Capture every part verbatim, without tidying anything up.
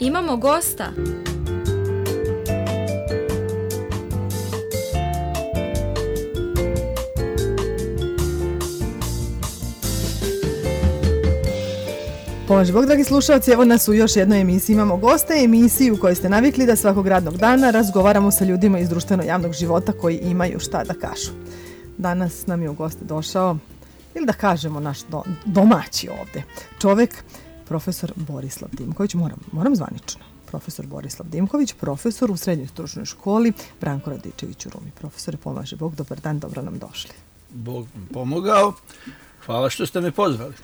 Imamo gosta. Pomoži Bog, dragi slušalci, evo nas u još jednoj emisiji. Imamo goste, emisiju u kojoj ste navikli da svakog radnog dana razgovaramo sa ljudima iz društveno-javnog života koji imaju šta da kažu. Danas nam je u goste došao, ili da kažemo naš do, domaći ovde čovek, profesor Borislav Dimković, moram, moram zvanično. Profesor Borislav Dimković, profesor u srednjoj stručnoj školi Branko Radičević u Rumi. Profesore, pomaže Bog, dobar dan, dobro nam došli. Bog mi pomogao, hvala što ste me pozvali.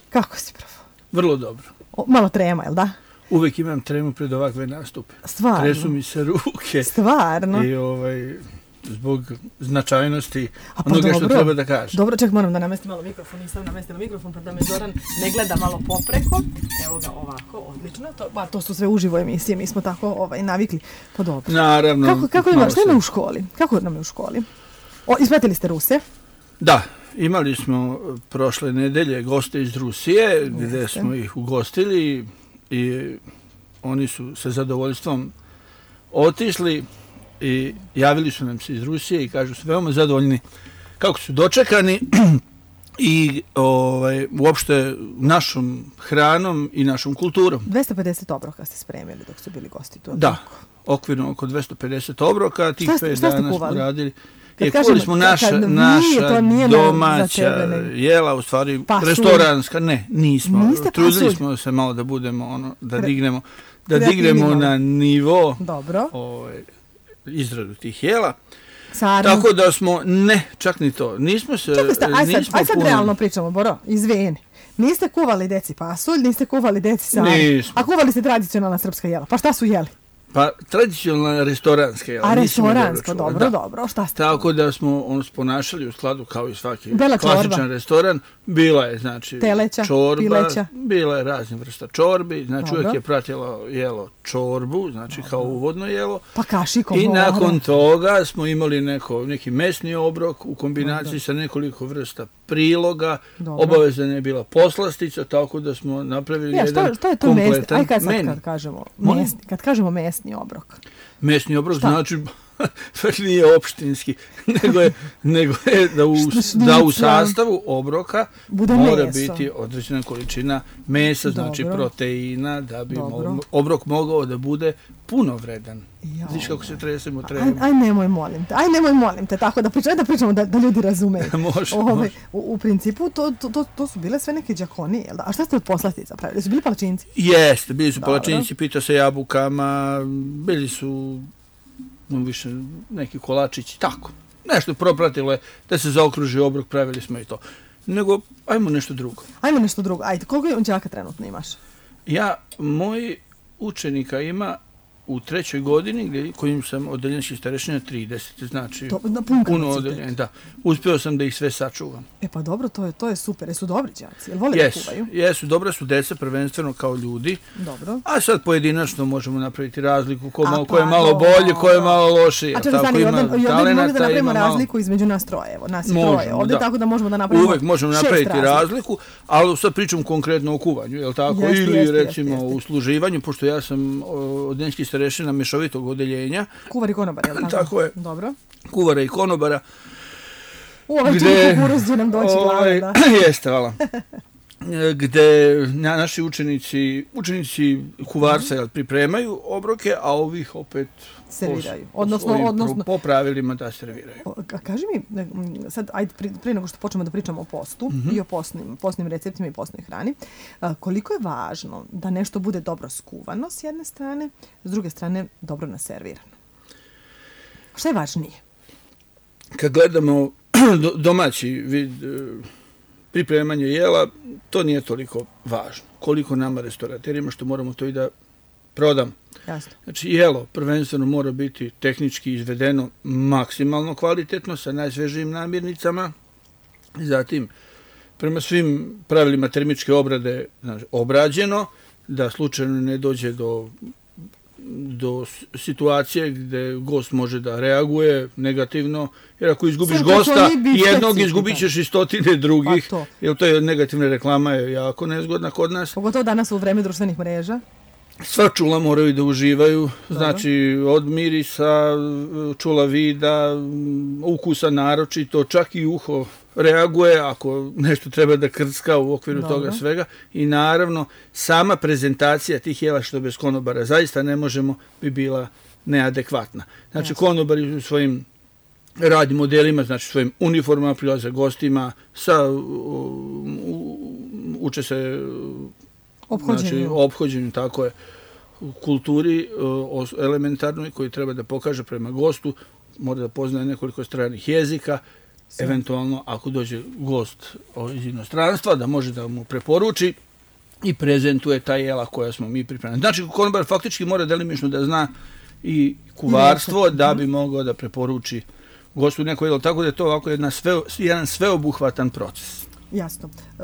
Kako si, prof? Vrlo dobro. O, malo trema, jel da? Uvijek imam tremu pred ovakve nastupe. Stvarno? Tresu mi se ruke. Stvarno? I ovaj, zbog značajnosti pa onoga dobro, što treba da kažem. Dobro, ček, moram da namestim malo mikrofon. Nisam namestila mikrofon, pa da me Zoran ne gleda malo popreko. Evo ga ovako, odlično. To, ba, to su sve uživo emisije, mi smo tako ovaj, navikli. Pa dobro. Naravno. Kako, kako ima, šta ima u školi? Kako nam je u školi? O, ispratili ste Ruse? Da. Imali smo prošle nedelje goste iz Rusije, gdje Jeste. smo ih ugostili i oni su sa zadovoljstvom otišli i javili su nam se iz Rusije i kažu su veoma zadovoljni kako su dočekani i ovaj, uopšte našom hranom i našom kulturom. dvesta pedeset obroka ste spremili dok su bili gosti tu. Da, okvirno oko dvesta pedeset obroka, tih šta, pet šta dana kuvali? smo radili. Kad Je, kažemo, kuvali smo naša, kad, naša nije, domaća tebe, ne... jela, u stvari pasulj. Restoranska, ne, nismo. Niste Trudili pasulj. smo se malo da budemo, ono, da Kre... dignemo, da dignemo na nivo Dobro. Ovaj, izradu tih jela. Sarno. Tako da smo, ne, čak ni to, nismo se, Čekaj, sta, aj sad, nismo aj sad puno... realno pričamo, Boro, izvini. Niste kuvali deci pasulj, niste kuvali deci sarno. Nismo. A kuvali ste tradicionalna srpska jela. Pa šta su jeli? Pa tradicionalna restoranska jela. A restoransko, dobro, dobro, dobro. Šta ste? Tako da smo on ponašali u skladu kao i svaki Bela klasičan čorba. restoran. Bila je, znači, Teleća, čorba, pileća. bila je raznih vrsta čorbi, znači Dobro. uvijek je pratilo jelo čorbu, znači dobro. Kao uvodno jelo. Pa kašikom. I mora. nakon toga smo imali neko, neki mesni obrok u kombinaciji dobro. Sa nekoliko vrsta priloga. Dobro. Obavezna je bila poslastica, tako da smo napravili ja, jedan što, što je to kompletan mesni? Aj kad, sad, meni. kad kažemo mesni, kad kažemo mesni obrok. Mesni obrok šta? znači nije opštinski, nego je, nego je da, u, da u sastavu obroka bude mora meso. biti određena količina mesa, dobro. Znači proteina, da bi mo, obrok mogao da bude punovredan. Ja, Znaš kako se tresemo treba. Aj, aj nemoj molim te, aj nemoj molim te, tako da pričamo, da, pričamo da, da ljudi razumeju. može, Ove, može. U, u principu to, to, to, to su bile sve neke đakonije, jel da? A šta ste od poslastica pravili? Su bili palačinci? Jeste, bili su dobro. Palačinci, pita sa jabukama, bili su no, više neki kolačići, tako. Nešto propratilo je da se zaokruži obrok, pravili smo i to. Nego, ajmo nešto drugo. Ajmo nešto drugo. Ajde, koliko je đaka trenutno imaš? Ja, moj učenika ima u trećoj godini, gdje, kojim sam odeljenski starešina trideset, znači to, na pun puno odeljenje, da. Uspio sam da ih sve sačuvam. E pa dobro, to je, to je super. Jesu dobri đaci? Jel vole yes, da kuvaju? Jesu, dobra su deca, prvenstveno kao ljudi. Dobro. A sad pojedinačno možemo napraviti razliku ko, malo, A, ko je pa, malo bolji, ko je malo lošiji. A čekaj, stani, i ovdje bi mogli da napravimo malo... razliku između nas troje. Evo, nas je možemo, troje ovdje, da. Tako da možemo da napravimo Uvek možemo napraviti razliku. razliku, ali sad pričam konkretno o kuvanju, je li tako? Jeste, Ili jeste, recimo jeste, jeste. u služivanju, pošto ja sam odeljenski starešina mešovitog odeljenja. Kuvar i konobar, je li tako? Tako je. Dobro. Kuvara i konobara. U ovaj čini kukuruz će nam doći glave, da. Jeste, hvala. Gde na, naši učenici, učenici kuvarca mm-hmm. pripremaju obroke, a ovih opet serviraju. Po, odnosno, po, odnosno, po pravilima da serviraju. O, kaži mi, sad, ajde, prije nego što počnemo da pričamo o postu mm-hmm. i o postnim, postnim receptima i postnoj hrani, a, koliko je važno da nešto bude dobro skuvano s jedne strane, s druge strane dobro naservirano? Šta je važnije? Kad gledamo domaći vid pripremanje jela, to nije toliko važno. Koliko nama restoraterima što moramo to i da prodam. Jasno. Znači, jelo prvenstveno mora biti tehnički izvedeno maksimalno kvalitetno sa najsvežijim namirnicama. Zatim, prema svim pravilima termičke obrade, znači, obrađeno, da slučajno ne dođe do do situacije gdje gost može da reaguje negativno, jer ako izgubiš Sve gosta jednog, specifikan. izgubit ćeš i stotine drugih, pa to. jer to je negativna reklama je jako nezgodna kod nas. Pogotovo danas u vreme društvenih mreža. Sva čula moraju da uživaju, znači od mirisa, čula vida, ukusa naročito, čak i uho reaguje ako nešto treba da krcka u okviru Dobro. toga svega i naravno sama prezentacija tih jela što bez konobara zaista ne možemo bi bila neadekvatna. Znači Jasne. konobari u svojim radnim modelima, znači svojim uniformama prilaze gostima, sa, u, u, uče se znači, ophođenju, tako je, u kulturi o, elementarnoj koji treba da pokaže prema gostu, mora da poznaje nekoliko stranih jezika, Sve. eventualno ako dođe gost iz inostranstva, da može da mu preporuči i prezentuje ta jela koja smo mi pripremili. Znači, konobar faktički mora delimično da zna i kuvarstvo da bi mogao da preporuči gostu neko jelo, tako da je to ovako jedna sve, jedan sveobuhvatan proces. Jasno. E,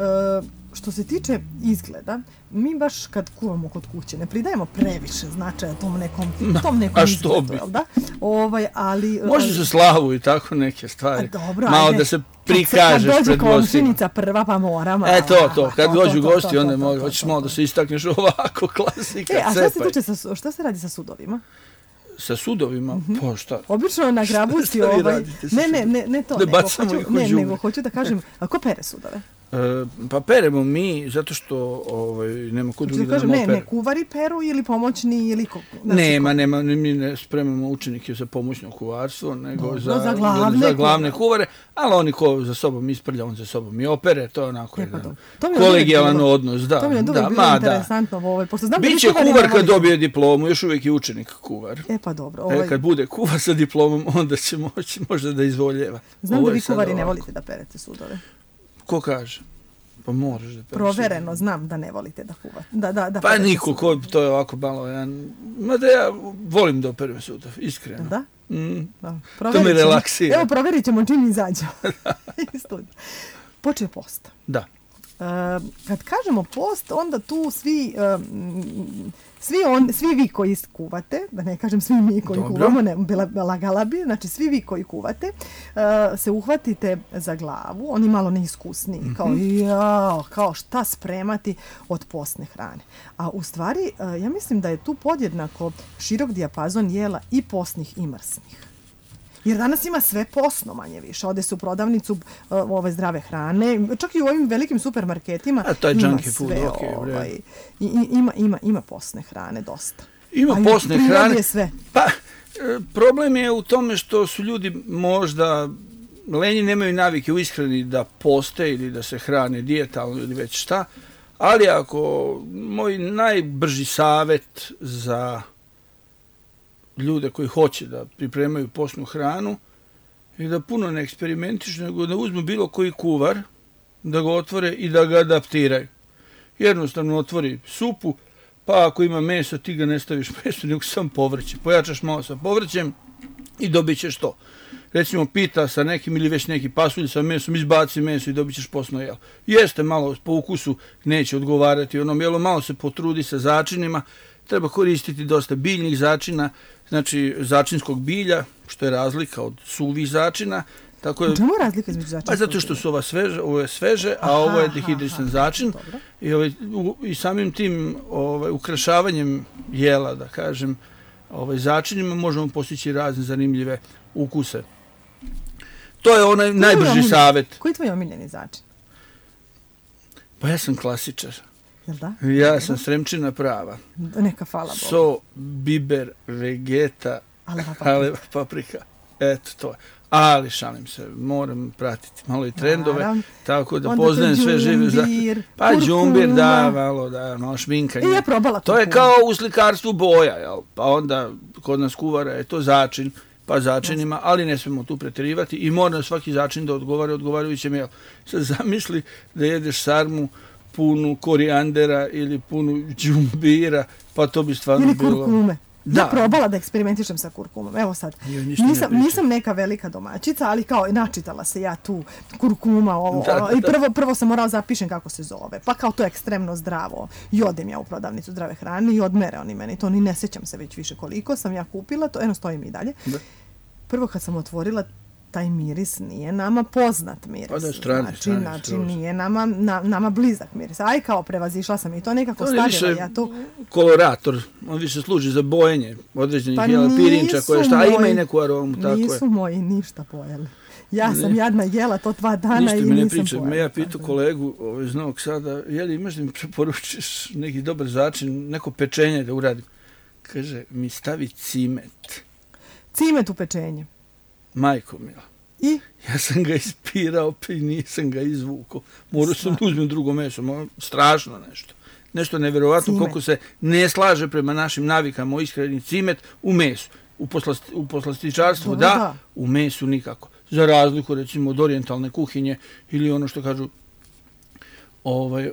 što se tiče izgleda, mi baš kad kuvamo kod kuće ne pridajemo previše značaja tom nekom, tom nekom izgledu, jel da? Ovaj, ali, Može se slavu i tako neke stvari. Dobro, malo da se prikažeš kad pred gostima. Kad dođe komšinica prva pa moramo. E to, to, kad dođu gosti onda mogu, hoćeš malo da se istakneš ovako, klasika, e, a šta cepaj. se tiče, sa, šta se radi sa sudovima? Sa sudovima? Mm-hmm. Pa šta? Obično na grabusti ovaj... Ne, ne, ne, ne to, ne nego, bacamo hoću, ih u ne, džubre. nego hoću da kažem, a ko pere sudove? E, pa peremo mi, zato što ovaj, nema kod drugi da, da nam opere. Ne, ne kuvari peru ili pomoćni ili... Ko, nema, ko... nema, mi ne spremamo učenike za pomoćno kuvarstvo, nego Dobro, za, za, glavne, za glavne kuvare, ali oni ko za sobom isprlja, on za sobom i opere, to je onako e, pa jedan to kolegijalan bilo, odnos. Da, to mi je dobro da, bilo ma, interesantno. Da. Ovaj, pošto znam Biće da kuvar kad dobije diplomu, još uvijek je učenik kuvar. E pa dobro. Ovaj... E, kad bude kuvar sa diplomom, onda će moći možda da izvoljeva. Znam da vi kuvari ne volite da perete sudove. Ko kaže? Pa moraš da pereš. Provereno znam da ne volite da kuvate. Da, da, da pa niko, ko, to je ovako malo jedan... Mada ja volim da operujem sudov, iskreno. Da? Mm. da. To me relaksira. Evo, provjerit ćemo čim izađemo. Počeo post. Da. Uh, kad kažemo post, onda tu svi... Um, Svi, on, svi vi koji kuvate, da ne kažem svi mi koji Dobro. kuvamo, ne, bila lagala bi, znači svi vi koji kuvate, uh, se uhvatite za glavu, oni malo neiskusniji, mm-hmm. kao, jao, kao šta spremati od postne hrane. A u stvari, uh, ja mislim da je tu podjednako širok dijapazon jela i postnih i mrsnih. Jer danas ima sve posno manje više. Ode se u prodavnicu uh, ove zdrave hrane, čak i u ovim velikim supermarketima. A taj ima junkie food, sve, okay, ovaj, i, i, ima, ima, ima posne hrane dosta. Ima A posne hrane. Je sve. Pa, problem je u tome što su ljudi možda lenji, nemaju navike u ishrani da poste ili da se hrane dijetalno ili već šta, ali ako moj najbrži savjet za ljude koji hoće da pripremaju postnu hranu i da puno ne eksperimentišu, nego da uzmu bilo koji kuvar, da ga otvore i da ga adaptiraju. Jednostavno otvori supu, pa ako ima meso, ti ga ne staviš meso, nego sam povrće. Pojačaš malo sa povrćem i dobit ćeš to. Recimo pita sa nekim ili već neki pasulj sa mesom, izbaci meso i dobit ćeš postno jelo. Jeste malo po ukusu, neće odgovarati onom jelu, malo se potrudi sa začinima, treba koristiti dosta biljnih začina, znači začinskog bilja, što je razlika od suvih začina. Tako je, čemu je razlika između začinskog bilja? Pa zato što su ova sveže, ovo je sveže, aha, a ovo je dehidrisan aha, začin. I, ovaj, u, i samim tim ovaj, ukrašavanjem jela, da kažem, ovaj, začinima možemo postići razne zanimljive ukuse. To je onaj koji najbrži savjet. Koji je tvoj omiljeni začin? Pa ja sam klasičar. Jel da? Ja sam Sremčina prava. Neka hvala Bogu. So, biber, vegeta, aleva paprika. aleva paprika. Eto to. Ali šalim se, moram pratiti malo i trendove, naravno. Tako da onda poznajem sve žive. Za... Pa džumbir, da, malo, da, malo šminkanje. I ja probala to je kao u slikarstvu boja, jel? Pa onda kod nas kuvara je to začin, pa začinima, ali ne smemo tu pretjerivati i mora svaki začin da odgovara odgovarajućem jel. Sad zamisli da jedeš sarmu punu korijandera ili punu džumbira, pa to bi stvarno ili bilo... Ili kurkume. Da. Ja probala da eksperimentišem sa kurkumom. Evo sad, nisam, ne nisam neka velika domaćica, ali kao načitala se ja tu kurkuma. Ovo, da, da, I prvo, prvo sam morala zapišem kako se zove. Pa kao to je ekstremno zdravo. I odem ja u prodavnicu zdrave hrane i odmere oni meni. To ni ne sjećam se već više koliko sam ja kupila. To eno stoji mi i dalje. Da. Prvo kad sam otvorila, taj miris nije nama poznat miris. Pa da, strane, znači, strane, znači nije nama, na, nama blizak miris. Aj kao prevazišla sam i to nekako to stavila. Ja to... kolorator, on više služi za bojenje određenih pa jela, pirinča koje šta, a ima i neku aromu. Nisu tako Nisu je. moji ništa pojeli. Ja sam ne. jadna jela to dva dana ništa i nisam ne priča. pojela. Ja pitu kolegu ovaj, iz Novog Sada, je li imaš da mi preporučiš neki dobar začin, neko pečenje da uradim? Kaže, mi stavi cimet. Cimet u pečenje? Majko mila. I? Ja sam ga ispirao, pa i nisam ga izvukao. Morao sam da uzmem drugo meso. Strašno nešto. Nešto nevjerovatno koliko se ne slaže prema našim navikama o ishrani cimet u mesu. U, poslast, u poslastičarstvu da, da, u mesu nikako. Za razliku recimo od orijentalne kuhinje ili ono što kažu ovaj,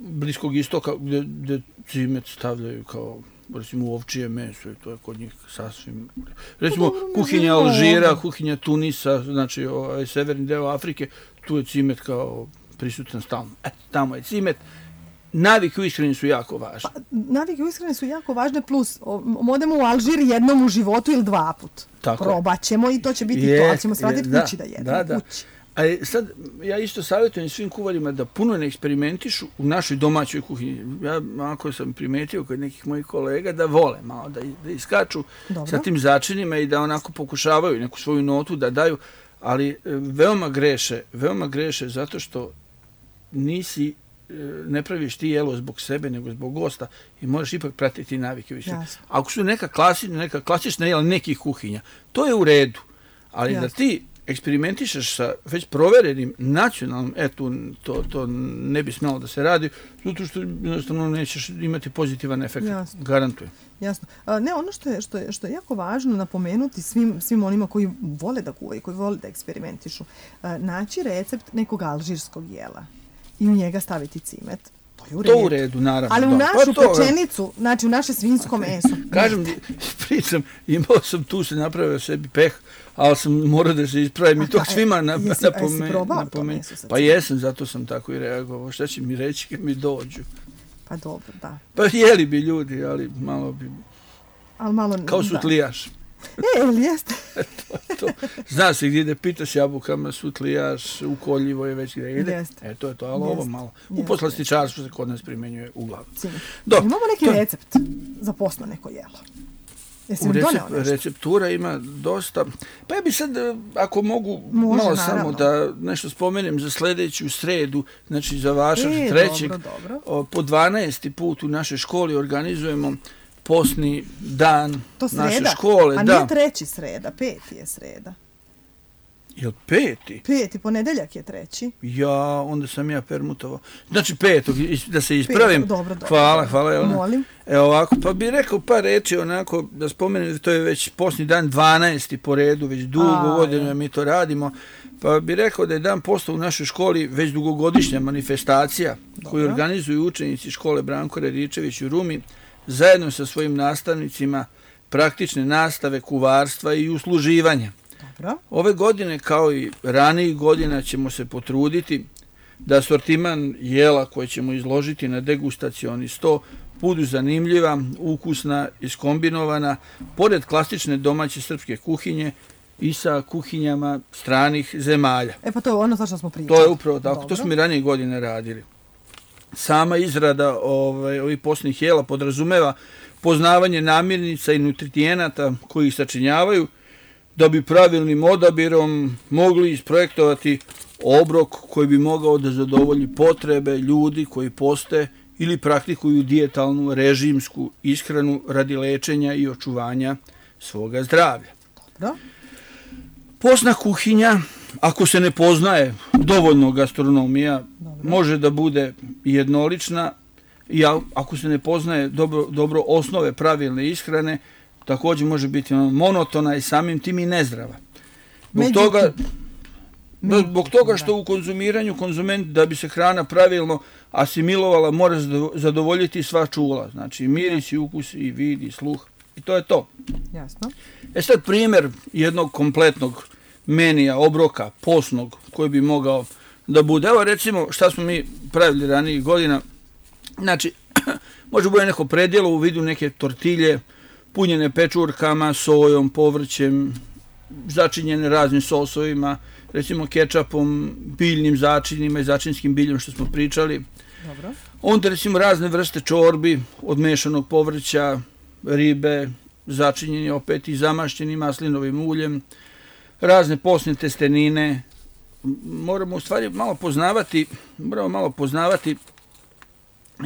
Bliskog istoka gdje, gdje cimet stavljaju kao recimo u ovčije meso i to je kod njih sasvim... Recimo kuhinja Alžira, kuhinja Tunisa, znači ovaj, severni deo Afrike, tu je cimet kao prisutan stalno. Eto, tamo je cimet. Navike u ishrani su jako važne. Pa, navike u ishrani su jako važne, plus odemo u Alžir jednom u životu ili dva put. Tako. Probat ćemo i to će biti je, to, ali ćemo svratiti kući da jedemo. Da, da. Kući. A sad, ja isto savjetujem svim kuvarima da puno ne eksperimentišu u našoj domaćoj kuhinji. Ja ako sam primetio kod nekih mojih kolega da vole malo, da, da iskaču Dobro. sa tim začinima i da onako pokušavaju neku svoju notu da daju, ali veoma greše, veoma greše zato što nisi ne praviš ti jelo zbog sebe, nego zbog gosta i možeš ipak pratiti navike više. Ako su neka, klasi, neka klasična jela nekih kuhinja, to je u redu, ali Jasne. da ti eksperimentišeš sa već proverenim nacionalnim, eto, to, to ne bi smjelo da se radi, zato što jednostavno nećeš imati pozitivan efekt, Jasno. garantujem. Jasno. A, ne, ono što je, što, je, što je jako važno napomenuti svim, svim onima koji vole da kuvaju, koji vole da eksperimentišu, a, naći recept nekog alžirskog jela i u njega staviti cimet. To je u redu. To u redu, naravno. Ali u da. našu pa to, pečenicu, znači u naše svinjsko meso. Kažem, pričam, imao sam tu se napravio sebi peh, ali sam morao da se ispravim i to svima napomenuo. Pa jesam, zato sam tako i reagovao. Šta će mi reći kad mi dođu? Pa dobro, da. Pa jeli bi ljudi, ali malo bi... Ali malo... Kao sutlijaš. E, ili jeste? to, to. Zna se gdje da pitaš jabukama, sutlijaš, ukoljivo je već gdje ide. Jeste. E, to je to, ali ovo malo. U jeste. Poslastičarstvu se kod nas primjenjuje uglavnom. Imamo neki to... recept za postno neko jelo. Jesi u recept, receptura ima dosta. Pa ja bi sad, ako mogu, Može, malo naravno. samo da nešto spomenem za sljedeću sredu, znači za vašar e, trećeg, dobro, dobro. po dvanaesti put u našoj školi organizujemo postni dan to naše škole. A da. nije treći sreda, peti je sreda. Jel peti? Peti, ponedeljak je treći. Ja, onda sam ja permutovao. Znači petog, da se ispravim. Petog, dobro, dobro. Hvala, hvala. Jelena. Molim. Evo ovako, pa bih rekao par reči onako, da spomenem, to je već postni dan dvanaesti po redu, već dugo godina mi to radimo. Pa bih rekao da je dan posta u našoj školi već dugogodišnja manifestacija dobro. koju organizuju učenici škole Branko Radičević u Rumi, zajedno sa svojim nastavnicima praktične nastave, kuvarstva i usluživanja. Dobro. Ove godine, kao i ranijih godina, ćemo se potruditi da asortiman jela koje ćemo izložiti na degustacioni sto budu zanimljiva, ukusna, iskombinovana, pored klasične domaće srpske kuhinje i sa kuhinjama stranih zemalja. E pa to je ono za što smo pričali. To je upravo tako, Dobro. to smo i ranije godine radili. Sama izrada ovaj, ovih postnih jela podrazumeva poznavanje namirnica i nutrijenata koji ih sačinjavaju, da bi pravilnim odabirom mogli isprojektovati obrok koji bi mogao da zadovolji potrebe ljudi koji poste ili praktikuju dijetalnu režimsku ishranu radi lečenja i očuvanja svoga zdravlja. Dobro. Postna kuhinja, ako se ne poznaje dovoljno gastronomija, dobro. može da bude jednolična i ako se ne poznaje dobro, dobro osnove pravilne ishrane, također može biti monotona i samim tim i nezdrava. Zbog Međutim, toga, Međutim, zbog toga što u konzumiranju konzument, da bi se hrana pravilno asimilovala, mora zadovoljiti sva čula. Znači miris i ukus i vid i sluh. I to je to. Jasno. E sad primjer jednog kompletnog menija, obroka, postnog, koji bi mogao da bude. Evo recimo šta smo mi pravili ranijih godina. Znači, može bude neko predjelo u vidu neke tortilje, punjene pečurkama, sojom, povrćem začinjene raznim sosovima, recimo kečapom, biljnim začinima i začinskim biljem što smo pričali. Dobro. Onda recimo razne vrste čorbi od mešanog povrća, ribe, začinjeni opet i zamašćeni maslinovim uljem, razne posne testenine. Moramo u stvari malo poznavati, moramo malo poznavati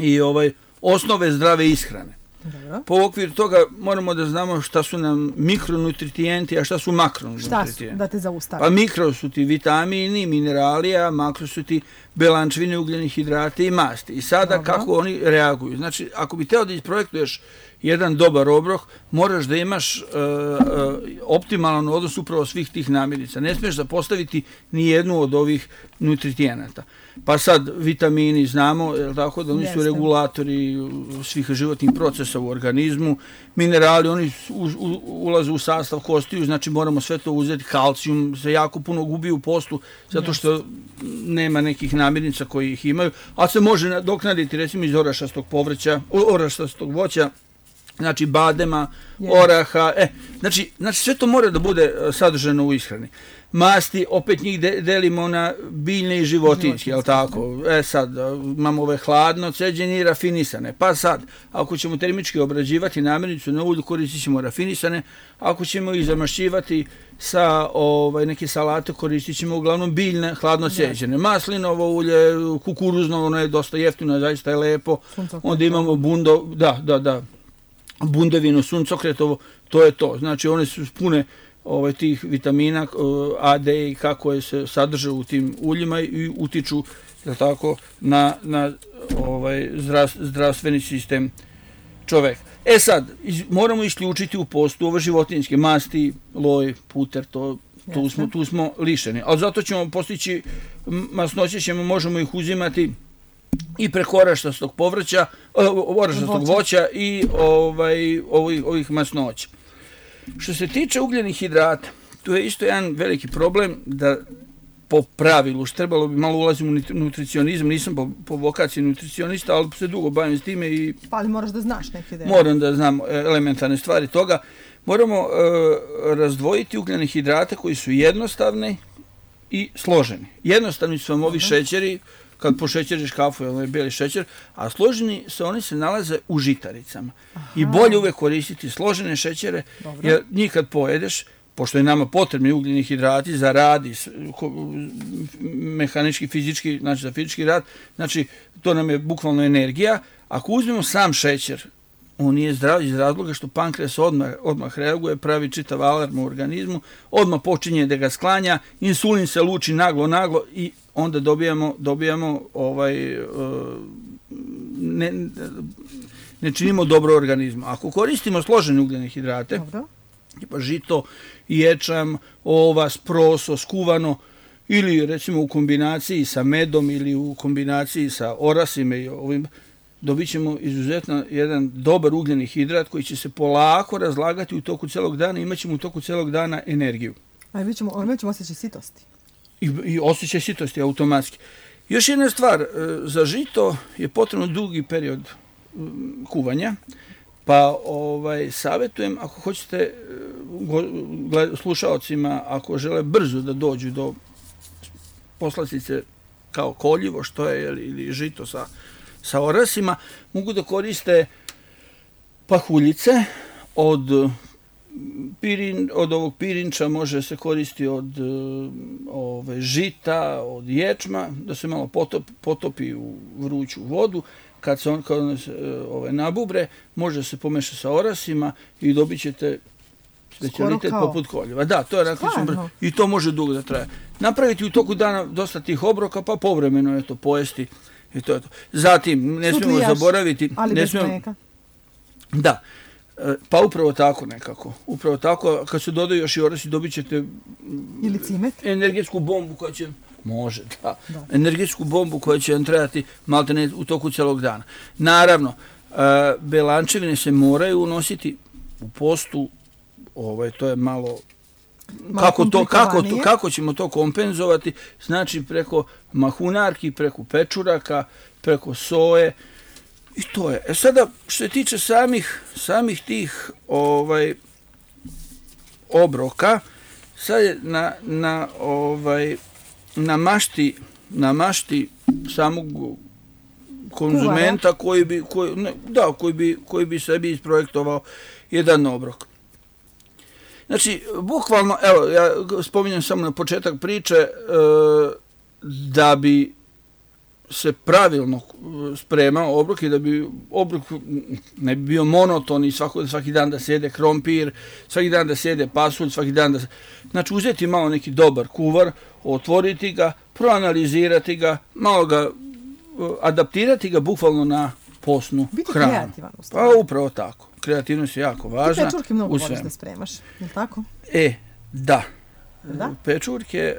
i ovaj osnove zdrave ishrane. Dobro. Po okviru toga moramo da znamo šta su nam mikronutrijenti, a šta su makronutrijenti. Šta su, da te zaustavim? Pa mikro su ti vitamini, minerali, a makro su ti belančevine, ugljeni hidrati i masti. I sada Dobro. kako oni reaguju. Znači, ako bi teo da isprojektuješ jedan dobar obrok, moraš da imaš uh, uh, optimalan odnos upravo svih tih namirnica. Ne smiješ da postaviti ni jednu od ovih nutrijenata. Pa sad vitamini znamo, je tako, da oni Jeste. su regulatori svih životnih procesa u organizmu. Minerali, oni u, u, ulaze u sastav kostiju, znači moramo sve to uzeti. Kalcijum se jako puno gubi u postu, zato što nema nekih namirnica koji ih imaju, a se može nadoknaditi recimo iz orašastog povrća, orašastog voća, znači badema, Yes. oraha, e, znači, znači sve to mora da bude sadržano u ishrani. Masti, opet njih de, delimo na biljne i životinjske, jel tako? E sad, imamo ove hladno ceđene i rafinisane. Pa sad, ako ćemo termički obrađivati namirnicu na ulju, koristit ćemo rafinisane. Ako ćemo ih zamašćivati sa ovaj, neke salate, koristit ćemo uglavnom biljne, hladno ceđene. Maslinovo ulje, kukuruzno, ono je dosta jeftino, zaista je lepo. Onda imamo bundo, da, da, da. bundevino, suncokretovo, to je to. Znači, one su pune ovaj, tih vitamina A, D i kako je se sadrže u tim uljima i utiču, je tako, na, na ovaj, zdrav, zdravstveni sistem čoveka. E sad, iz, moramo isključiti u postu ove životinjske masti, loj, puter, to, tu, smo, tu smo lišeni. Ali zato ćemo postići, masnoće ćemo, možemo ih uzimati i preko orašastog povrća, orašastog voća i ovaj, ovih, ovih masnoća. Što se tiče ugljenih hidrata, tu je isto jedan veliki problem da po pravilu, što trebalo bi malo ulazim u nutricionizam, nisam po, po vokaciji nutricionista, ali se dugo bavim s time i pa ali moraš da znaš neke dele. Moram da znam elementarne stvari toga. Moramo e, razdvojiti ugljene hidrate koji su jednostavni i složeni. Jednostavni su vam ovi šećeri, kad pošećeriš kafu, je ovaj bijeli šećer, a složeni se, oni se nalaze u žitaricama. Aha. I bolje uvek koristiti složene šećere, Dobro. jer njih kad pojedeš, pošto je nama potrebni ugljeni hidrati za rad i mehanički, fizički, znači za fizički rad, znači to nam je bukvalno energija. Ako uzmemo sam šećer, on nije zdrav iz razloga što pankreas odmah, odmah reaguje, pravi čitav alarm u organizmu, odmah počinje da ga sklanja, insulin se luči naglo, naglo i onda dobijamo, dobijamo ovaj, ne, ne činimo dobro organizmu. Ako koristimo složene ugljene hidrate, tipa žito, ječam, ovas, proso, skuvano, ili recimo u kombinaciji sa medom ili u kombinaciji sa orasima i ovim, dobit ćemo izuzetno jedan dobar ugljeni hidrat koji će se polako razlagati u toku celog dana i imat ćemo u toku celog dana energiju. A mi ćemo, mi ćemo osjećaj sitosti. I, i osjećaj sitosti automatski. Još jedna stvar, za žito je potrebno dugi period kuvanja, pa ovaj, savjetujem, ako hoćete slušaocima, ako žele brzo da dođu do poslastice kao koljivo, što je, ili žito sa, sa orasima, mogu da koriste pahuljice od Pirin, od ovog pirinča, može se koristiti od ove, žita, od ječma, da se malo potop, potopi u vruću vodu. Kad se on, kad on se ove, nabubre, može se pomešati sa orasima i dobit ćete specijalitet poput koljeva. Da, to je raklično i to može dugo da traje. Napraviti u toku dana dosta tih obroka, pa povremeno je to pojesti i to je to. Zatim, ne smijemo zaboraviti... Ali ne bez smijemo, mlijeka. Da. Pa upravo tako nekako. Upravo tako, kad se dodaju još i orasi, dobit ćete ili cimet. Energetsku bombu koja će... Može, da. da. Energetsku bombu koja će vam trebati maltene u toku celog dana. Naravno, belančevine se moraju unositi u postu, ovaj, to je malo... malo kako, to, kako, to, kako ćemo to kompenzovati? Znači preko mahunarki, preko pečuraka, preko soje. I to je. E sada, što se tiče samih, samih tih ovaj, obroka, sad je na, na, ovaj, na mašti, na mašti samog konzumenta koji bi, koji, ne, da, koji bi, koji bi sebi isprojektovao jedan obrok. Znači, bukvalno, evo, ja spominjem samo na početak priče, e, da bi se pravilno spremao obrok i da bi obrok ne bi bio monoton i svako, svaki dan da sjede krompir, svaki dan da sjede pasulj, svaki dan da... Znači, uzeti malo neki dobar kuvar, otvoriti ga, proanalizirati ga, malo ga adaptirati ga bukvalno na postnu biti hranu. Biti kreativan u stvari. Pa upravo tako. Kreativnost je jako važna. Ti pečurke mnogo voliš da spremaš, je li tako? E, da. Da? Pečurke,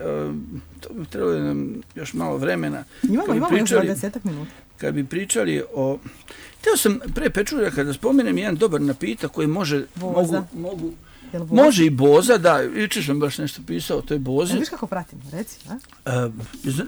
trebalo je nam još malo vremena. Imamo, imamo još dvadesetak minuta. Kad bi pričali o... Htio sam pre pečurka kada spomenem jedan dobar napitak koji može... Boza. Mogu, mogu, može i boza, da. Jučer sam baš nešto pisao o toj bozi. Ne viš kako pratim, reci, a? a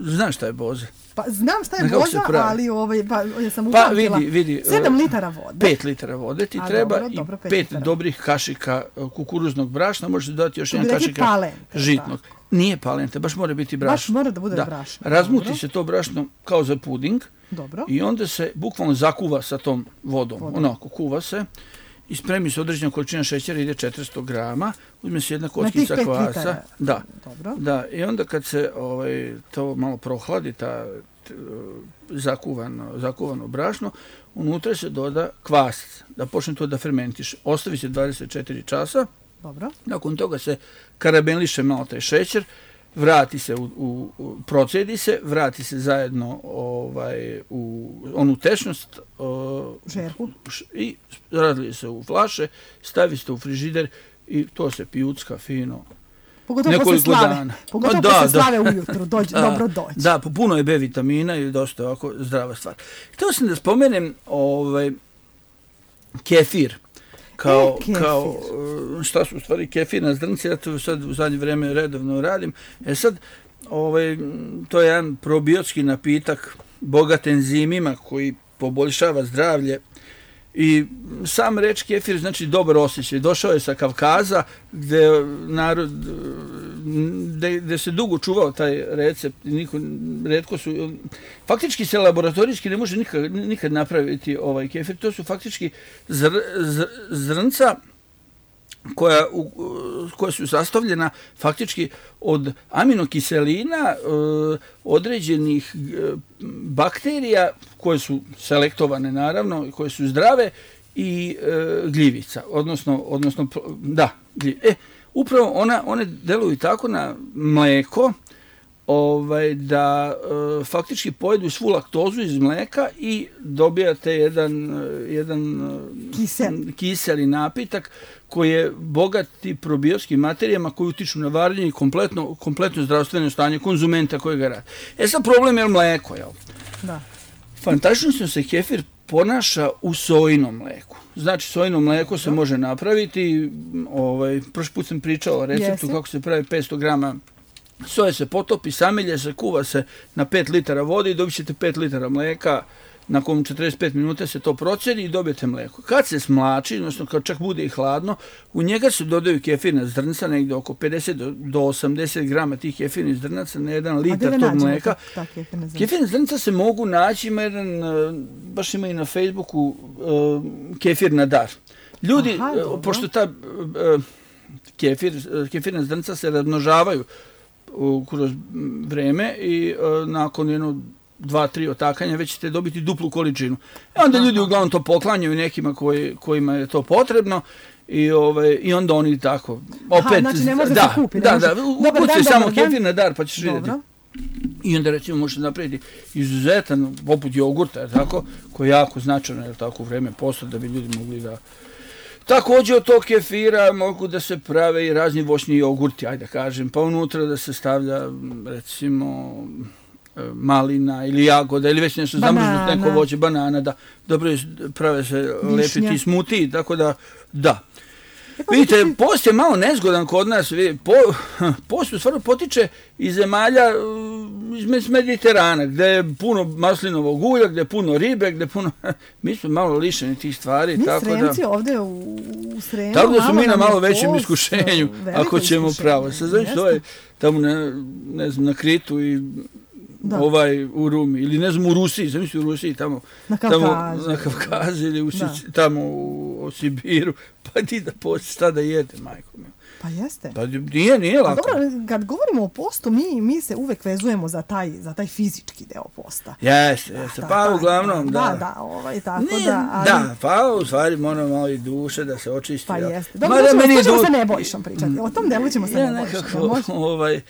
znaš šta je boza? Pa znam šta je boza, ali ovaj, pa, ja sam upamtila. Pa vidi, vidi. sedam litara vode. pet litara vode ti a, treba dobro, i dobro, pet dobrih kašika kukuruznog brašna. Možete dodati još jedan kašika palente, žitnog. Da. Nije palente, baš mora biti brašno. Baš mora da bude da. brašno. Razmuti dobro. se to brašno kao za puding. Dobro. I onda se bukvalno zakuva sa tom vodom. vodom. Onako, kuva se. I spremi se određena količina šećera, ide četiristo grama, uzme se jedna kockica kvasa. Da, dobro. Da, i onda kad se ovaj, to malo prohladi, ta t, zakuvano, zakuvano brašno, unutra se doda kvas, da počne to da fermentiše. Ostavi se dvadeset četiri časa, dobro. Nakon toga se karameliše malo taj šećer, vrati se, u, u, u, procedi se, vrati se zajedno ovaj, u onu tečnost uh, žerku i razlije se u flaše, stavi se u frižider i to se pijucka fino. Pogotovo posle slave, dana. Pogotovo da, posle slave da. Ujutru, dođe, da, dobro dođe. Da, puno je B vitamina i dosta ovako zdrava stvar. Htio sam da spomenem ovaj, kefir. Kao, e, kao, šta su u stvari kefirna zrnca, ja to sad u zadnje vrijeme redovno radim. E sad, ovaj, to je jedan probiotski napitak, bogat enzimima koji poboljšava zdravlje. I sam reč kefir znači dobar osjećaj. Došao je sa Kavkaza gdje, narod, gdje, gdje se dugo čuvao taj recept. Niko, retko su, faktički se laboratorijski ne može nikad, nikad napraviti ovaj kefir. To su faktički zr, zr, zrnca koja, u, koja su sastavljena faktički od aminokiselina, određenih bakterija koje su selektovane naravno, koje su zdrave i gljivica, odnosno, odnosno da, gljivica. E, upravo ona, one deluju tako na mlijeko, ovaj, da e, faktički pojedu svu laktozu iz mlijeka i dobijate jedan, jedan Kisel. kiseli napitak koji je bogat i probiotskim materijama koji utiču na varenje i kompletno, kompletno zdravstveno stanje konzumenta koji ga radi. E sad problem je mlijeko, jel? Da. Fantastično se kefir ponaša u sojinom mlijeku. Znači, sojino mlijeko se može napraviti, ovaj, prošli put sam pričao o receptu Jesi. kako se pravi petsto grama soje se potopi, samelje se, kuva se na pet litara vode i dobit ćete pet litara mlijeka. Nakon četrdeset pet minuta se to procedi i dobijete mlijeko. Kad se smlači, odnosno kad čak bude i hladno, u njega se dodaju kefirna zrnca, negdje oko pedeset do osamdeset grama tih kefirnih zrnaca na jedan litar tog mlijeka. Ta, ta kefirna zrnca? Kefirna zrnca se mogu naći, ima jedan, baš ima i na Facebooku, kefir na dar. Ljudi, Aha, pošto ta kefir, kefirna zrnca se razmnožavaju kroz vreme i nakon jedno dva, tri otakanja, već ćete dobiti duplu količinu. I onda ljudi uglavnom to poklanjaju nekima koji, kojima je to potrebno i, ovaj, i onda oni tako opet... Aha, znači ne može da, se kupiti. Da, da, ukuci samo kefir na dar pa ćeš Dobro. vidjeti. I onda recimo možete napraviti izuzetan, poput jogurta, tako, koji je jako značajno, jer tako u vreme posta da bi ljudi mogli da... Također od tog kefira mogu da se prave i razni voćni jogurti, ajde da kažem, pa unutra da se stavlja recimo malina ili jagoda ili već nešto zamrznuto neko voće, banana, da dobro prave se lepiti smuti, tako da, da. E pa vidite, ti... post je malo nezgodan kod nas, po, post u stvarno potiče iz zemalja iz Mediterana, gdje je puno maslinovog ulja, gdje je puno ribe, gdje je puno... Mi smo malo lišeni tih stvari. Mi tako Sremci da, ovdje u, u Sremu... Tako da su mi na malo je većem post, iskušenju, ako ćemo iskušenje, pravo. Sad znači to je tamo na, ne znam, na Kritu i da. ovaj u Rumi, ili ne znam u Rusiji, zamisli u Rusiji, tamo na Kavkazu, tamo, na Kavkazu ili u, tamo u, u Sibiru, pa ti da posti, šta da jede, majko mi. Pa jeste. Pa nije, nije lako. Dobro, kad govorimo o postu, mi, mi se uvek vezujemo za taj, za taj fizički deo posta. Jeste, jeste. Pa da, uglavnom, da. Da, da, ovaj, tako nije, da. Ali... Da, pa u stvari moramo malo i duše da se očisti. Pa ja. jeste. Dobro, da ćemo, du... ćemo sa Nebojšom pričati. O tom delu ćemo sa ja Nebojšom. Nekako, ovaj,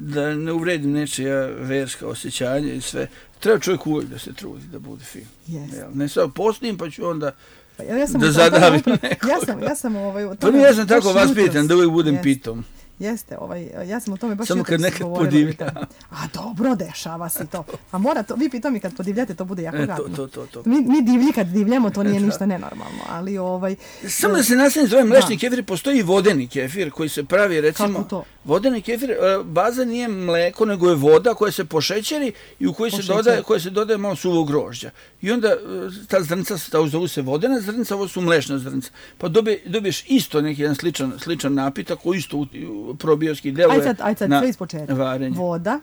da ne uvredim nečija verska osjećanja i sve. Treba čovjek uvijek da se trudi da bude fin. Jeste. Ne samo postim, pa ću onda... Pa ja, ja sam da zadavim nekog. Ja sam, ja sam ovaj... Pa ja sam tako vaspitan da uvijek budem jeste. Pitom. Jeste, ovaj, ja sam o tome baš samo kad nekad podivljam. A dobro, dešava se to. A mora to, vi pitam mi kad podivljate, to bude jako gadno. E, to, to, to. Mi, mi divlji kad divljamo, to nije ništa nenormalno, ali ovaj... Samo da se nastavim zove mlečni kefir, postoji i vodeni kefir koji se pravi, recimo... Kako to? Vodeni kefir, baza nije mleko, nego je voda koja se pošećeri i u kojoj se dodaje, koja se dodaje malo suvog grožđa. I onda ta zrnca, ta zovu se vodena zrnca, ovo su mlečna zrnca. Pa dobije, dobiješ isto neki jedan sličan, sličan napitak koji isto probioski deluje. Aj sad, aj sad, na sve ispočetka. Varenje. Voda.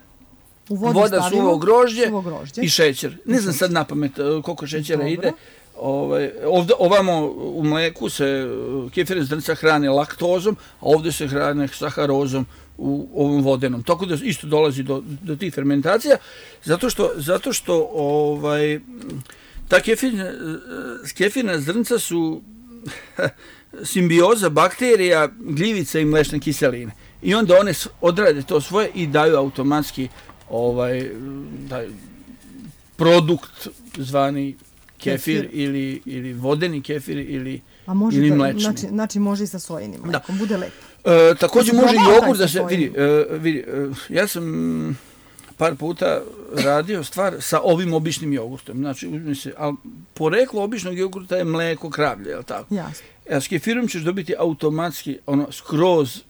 U vodu voda, stavimo, suvo grožđe, suvo grožđe i šećer. Ne znam sad napamet koliko šećera dobro. Ide. Ovaj, ovdje, ovamo u mleku se kefirne zrnca hrane laktozom, a ovdje se hrane saharozom u ovom vodenom. Tako da isto dolazi do, do tih fermentacija, zato što, zato što ovaj, ta kefirna, kefirna zrnca su simbioza bakterija, gljivica i mlečne kiseline. I onda one odrade to svoje i daju automatski ovaj, daju produkt zvani kefir, kefir. Ili, ili vodeni kefir ili, a može ili to, mlečni. Znači, znači može i sa sojinim mlekom, bude lepo. E, također može i jogurt da se vidi. E, vidi e, ja sam par puta radio stvar sa ovim običnim jogurtom. Znači, uzmi se, ali poreklo običnog jogurta je mleko kravlje, je li tako? Jasno. A s kefirom ćeš dobiti automatski, ono, skroz,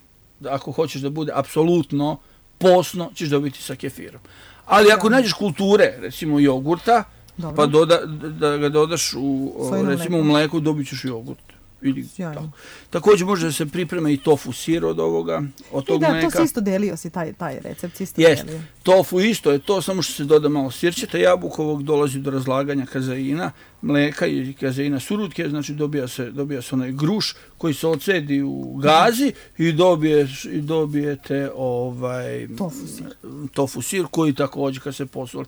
ako hoćeš da bude apsolutno posno, ćeš dobiti sa kefirom. Ali ako ja. nađeš kulture, recimo jogurta, dobro. Pa doda, da ga dodaš u, recimo, u mleku, dobit ćeš jogurt. Ili, tako. Također može da se priprema i tofu sir od ovoga, od tog da, mleka. To si isto delio si, taj, taj recept si isto Jest. delio. Tofu isto je to, samo što se doda malo sirćeta jabukovog, dolazi do razlaganja kazeina, mleka i kazeina surutke, znači dobija se, dobija se onaj gruš koji se ocedi u gazi i, dobiješ, i dobijete ovaj, tofu sir. Tofu sir koji također kad se posoli,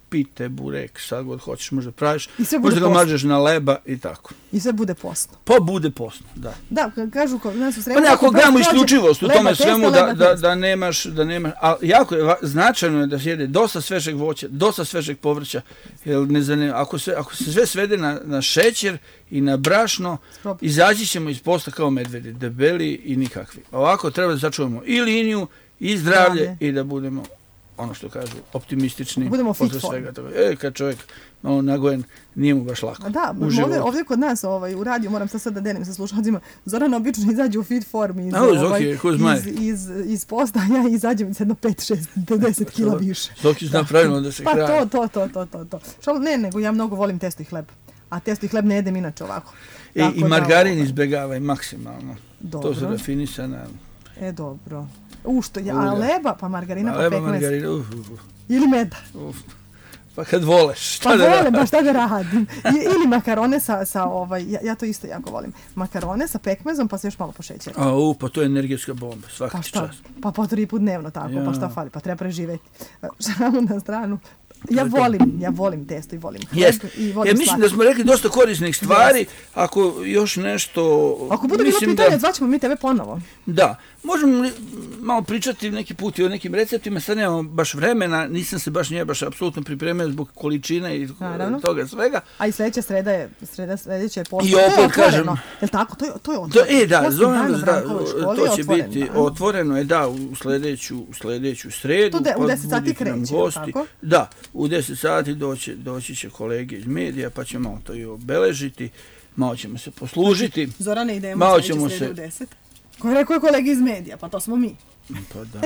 pite, burek, sad god hoćeš, možda praviš, možda ga postno. Mažeš na leba i tako. I sve bude postno. Pa bude postno, da. Da, kažu kod nas u Sremu... Pa ne, ako gledamo isključivost u tome svemu, da, da, da nemaš, da nemaš, ali jako je, značajno je da se jede dosta svežeg voća, dosta svežeg povrća, jer ne zanim, ako, se, ako se sve svede na, na šećer i na brašno, Sprop. izaći ćemo iz posta kao medvedi, debeli i nikakvi. Ovako treba da sačuvamo i liniju, i zdravlje, zdravlje. I da budemo ono što kažu, optimistični. Budemo fit svega toga. E, kad čovjek malo nagojen, nije mu baš lako. A da, ovdje, ovdje kod nas ovaj, u radiju, moram sad sad da delim sa slušalcima, Zoran obično izađe u fit formi iz, ovaj, iz, iz, iz posta, ja izađem jedno pet, šest, deset kila više. Zoki zna pravilno da se pa hrani. Pa to, to, to, to, to. Šal, ne, nego ja mnogo volim testo i hleb. A testo i hleb ne jedem inače ovako. I, i margarin da, izbjegavaj maksimalno. Dobro. To su rafinisana. E, dobro. U što, ja, a leba, pa margarina, a pa pekmez. Margarina, uf, uf. Ili meda. Uf. Pa kad voleš, šta pa da volim, ba šta da radim. I, ili makarone sa, sa ovaj, ja, ja to isto jako volim. Makarone sa pekmezom, pa se još malo pošećera. A, u, pa to je energetska bomba, svaki pa šta? čas. Pa po tri put dnevno tako, ja. Pa šta fali, pa treba preživeti. Šalu na stranu. Ja to volim, ja volim testo i volim hleb Jest. I volim ja mislim slatko. Da smo rekli dosta korisnih stvari, yes. Ako još nešto... Ako bude bilo pitanje, da... zvaćemo mi tebe ponovo. Da, možemo malo pričati neki put i o nekim receptima, sad nemamo baš vremena, nisam se baš nije baš apsolutno pripremio zbog količine i naravno. Toga svega. A i sljedeća sreda je, sreda sljedeća je posto. I opet kažem... Je li tako? To je, to je otvoreno. To, e, da, zovem da, to će otvoren, biti da. Otvoreno, je da, u sljedeću, u sljedeću sredu. To de, u deset sati kreće, tako? Da, u deset sati doći, doći će kolege iz medija, pa ćemo malo to i obeležiti, malo ćemo se poslužiti. Zorane, idemo malo sljedeće ćemo srede se... u deset. Ko je rekao je kolegi iz medija? Pa to smo mi. Pa da.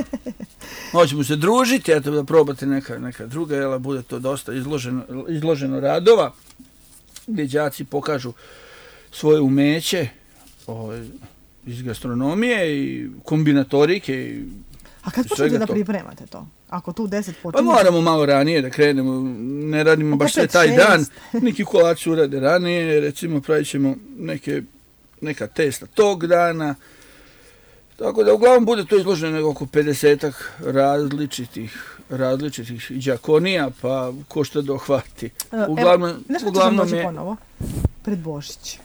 Hoćemo se družiti, eto da probate neka, neka druga, jel, bude to dosta izloženo, izloženo radova, gdje đaci pokažu svoje umeće ovaj, iz gastronomije i kombinatorike. I a kad počnete da pripremate to? Ako tu deset počinje... Pa moramo malo ranije da krenemo, ne radimo baš sve taj dan, neki kolači urade ranije, recimo pravit ćemo neke, neka testa tog dana, tako da uglavnom bude to izloženo oko pedesetak različitih, različitih đakonija, pa ko što dohvati. Uglavnom, evo, nešto uglavnom ćemo doći je... ponovo, pred Božić,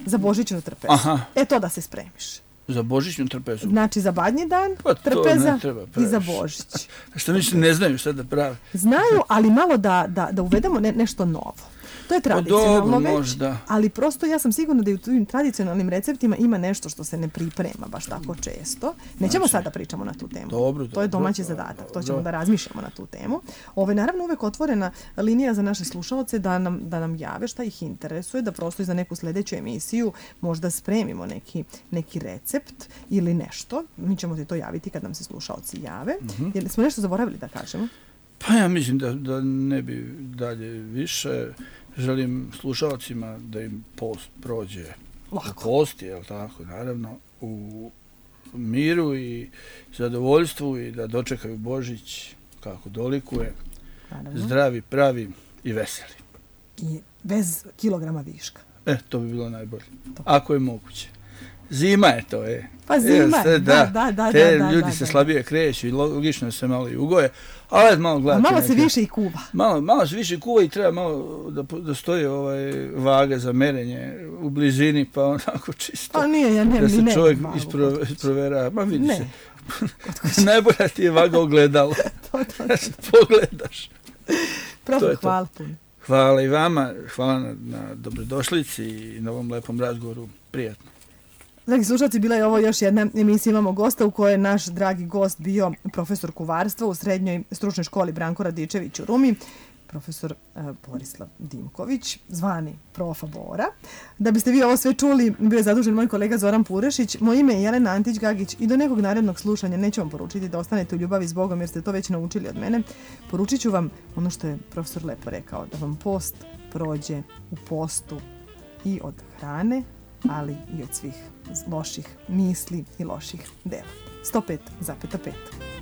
za Božićnu trpezu. Aha. E to da se spremiš. Za Božićnu trpezu? Znači za badnji dan, pa trpeza i za Božić. Što mislim, ne znaju šta da prave. Znaju, ali malo da, da, da uvedemo ne, nešto novo. To je tradicionalno već, možda. Ali prosto ja sam sigurna da i u tim tradicionalnim receptima ima nešto što se ne priprema baš tako često. Nećemo znači, sada pričamo na tu temu. Dobro, to je domaći dobro, zadatak, dobro. to ćemo da razmišljamo na tu temu. Ovo je naravno uvek otvorena linija za naše slušalce da nam, da nam jave šta ih interesuje, da prosto i za neku sljedeću emisiju možda spremimo neki, neki recept ili nešto. Mi ćemo ti to javiti kad nam se slušalci jave. Mm-hmm. Jer smo nešto zaboravili da kažemo? Pa ja mislim da, da ne bi dalje više. Želim slušalcima da im post prođe lako. Post, jel tako, naravno, u miru i zadovoljstvu i da dočekaju Božić kako dolikuje, naravno. Zdravi, pravi i veseli. I bez kilograma viška. E, to bi bilo najbolje. To. Ako je moguće. Zima je to, e. Pa zima je, da, da, da. Te da, ljudi da, se da, slabije kreću i logično se malo i ugoje, ali malo gledati. Malo neke, se više i kuva. Malo, malo se više kuva i treba malo da, da stoji ovaj vaga za merenje u blizini, pa onako čisto. A nije, ja ne, da se ne, čovjek ne, ispro, isprovera. Ma vidi ne. se. Najbolja ti je vaga ogledalo. to, to, da se pogledaš. Profi, hvala puno. Hvala i vama, hvala na, na dobrodošlici i na ovom lepom razgovoru. Prijatno. Dragi slušalci, bila je ovo još jedna emisija Imamo gosta u kojoj je naš dragi gost bio profesor kuvarstva u srednjoj stručnoj školi Branko Radičević u Rumi, profesor uh, Borislav Dimković, zvani Profa Bora. Da biste vi ovo sve čuli, bio je zadužen moj kolega Zoran Purešić, moje ime je Jelena Antić-Gagić i do nekog narednog slušanja neću vam poručiti da ostanete u ljubavi s Bogom jer ste to već naučili od mene. Poručit ću vam ono što je profesor lepo rekao, da vam post prođe u postu i od hrane, ali i od svih loših misli i loših dela. sto pet zarez pet